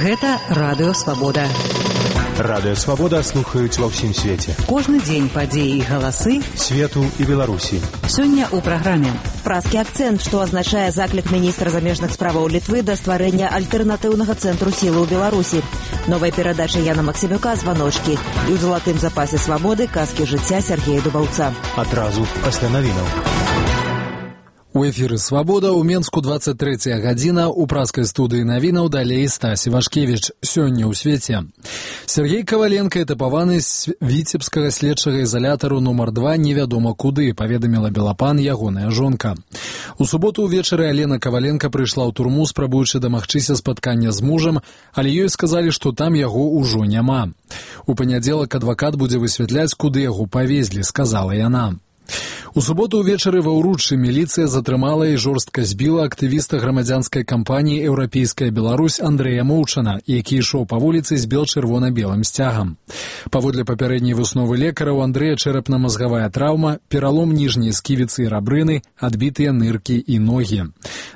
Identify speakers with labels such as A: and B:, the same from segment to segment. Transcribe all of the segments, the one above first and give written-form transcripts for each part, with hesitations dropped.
A: Гэта Радыё Свабода.
B: Радыё Свабода слухаюць ва ўсім свеце.
A: Кожны дзень падзеі і галасы
B: свету і Беларусі.
A: Сёння ў праграме.
C: Празкі акцэнт, што азначае заклік міністра замежных справаў Літвы да стварэння альтэрнатыўнага цэнтру сілы ў Беларусі. Новая перадача Яна Максімюка «Званочкі» і ў залатым запасе свабоды казкі жыцця Сергея Дубаўца.
B: Адразу пасля навінаў.
D: У эфіры «Свабода» ў Менску 23 гадзіна, у празкай студыі навінаў далей Стась Івашкевіч. Сёння ў свеце. Сергей Каваленко этапаваны з віцебскага следчага ізалятару нумар 2 невядома куды, паведаміла Белапан ягоная жонка. У суботу ўвечары Алена Каваленко прыйшла ў турму, спрабуючы дамагчыся спаткання з мужам, але ёй сказалі, што там яго ўжо няма. У панядзелак адвакат будзе высвятляць, куды яго павезлі, сказала яна. У суботу ўвечары ва ўруччы міліцыя затрымала і жорстка збіла актывіста грамадзянскай кампаніі «Еўрапейская Беларусь» Андрэя Моўчана, які ішоў па вуліцы з бел-чырвона-белым сцягам. Паводле папярэдняй высновы лекара, у Андрэя чэрапна-мазгавая траўма, пералом ніжняй сківіцы і рабрыны, адбітыя ныркі і ногі.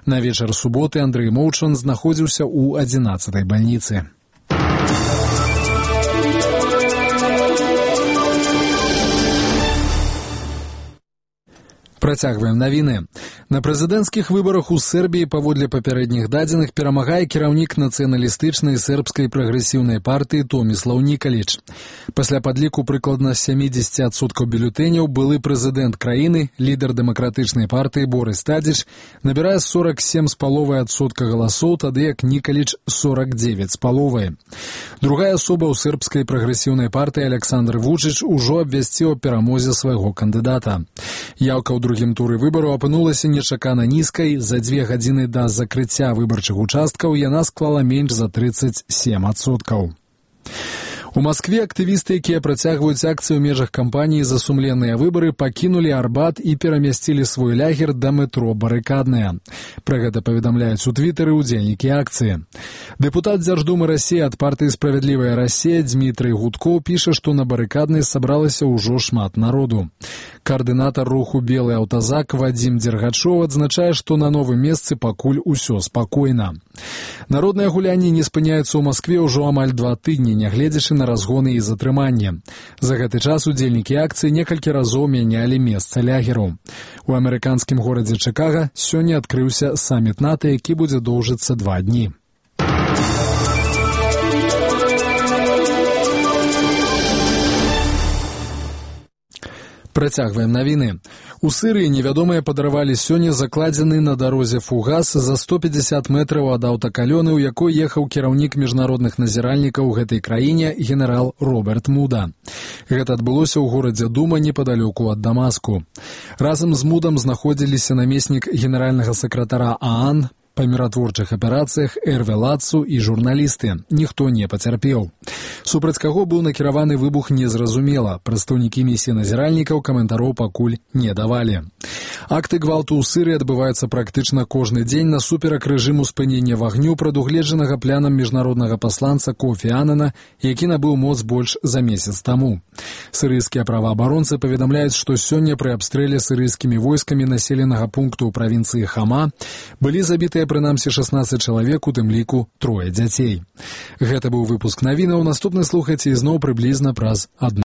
D: На вечар суботы Андрэй Моўчан знаходзіўся ў 11-й бальніцы. Працягваем навіны. На прэзідэнцкіх выбарах у Сербіі паводле папярэдніх дадзеных перамагае кіраўнік нацыяналістычнай сербскай прагрэсіўнай партыі Томіслаў Нікаліч. Пасля падліку прыкладна 70% бюлетэняў былы прэзідэнт краіны, лідар дэмакратычнай партыі Борыс Тадзіч набірае 47,5% галасоў, тады як Нікаліч 49,5%. Другая асоба ў сербскай прагрэсіўнай партыі Александр Вучыч ужо абвясціў аб перамозе свайго кандыдата. Яўка ў другім туры выбару апынулася нечакана нізкай. За 2 гадзіны да закрыцця выбарчых участкаў яна склала менш за 37%. У Маскве актывісты, якія працягваюць акцыю ў межах кампаніі «За сумленныя выбары», пакінулі Арбат і перамясцілі свой лягер да метро «Барыкадныя». Пра гэта паведамляюць у твітары ўдзельнікі акцыі. Дэпутат Дзярждумы Расіі ад партыі «Справядлівая Расія» Дмітрый Гудкоў піша, што на Барыкаднай сабралася ўжо шмат народу. Каардынатар руху «Белы аўтазак» Вадзім Дзергачоў адзначае, што на новым месцы пакуль усё спакойна. Народныя гулянні не спыняюцца ў Маскве ўжо амаль 2 тыдні, нягледзячы на разгоны і затрыманне. За гэты час удзельнікі акцыі некалькі разоў мянялі месца лягераў. У амерыканскім горадзе Чыкага сёння адкрыўся саміт НАТО, які будзе доўжыцца 2 дні. Працягваем навіны. У Сырыі невядомыя падарвалі сёння закладзены на дарозе фугас за 150 метраў ад аўтакалёны, у якой ехаў кіраўнік міжнародных назіральнікаў гэтай краіне генерал Роберт Муда. Гэта адбылося ў горадзе Дума непадалёку ад Дамаску. Разам з Мудам знаходзіліся намеснік генеральнага сакратара ААН па міратворчых аперацыях Эрве Лацу і журналісты. Ніхто не пацярпеў. Супраць каго быў накіраваны выбух, незразумела. Прадстаўнікі місіі назіральнікаў каментароў пакуль не давалі. Акты гвалту ў Сырыі адбываюцца практычна кожны дзень насуперак рэжыму спынення вагню, прадугледжанага планам міжнароднага пасланца Кофі Анана, які набыў моц больш за месяц таму. Сырыйскія праваабаронцы паведамляюць, што сёння пры абстрэле сырыйскімі войскамі населенага пункту ў правінцыі Хама былі забітыя прынамсі 16 чалавек, у тым ліку 3 дзяцей. Гэта быў выпуск навінаў. Наступны слухайце ізноў прыблізна праз 1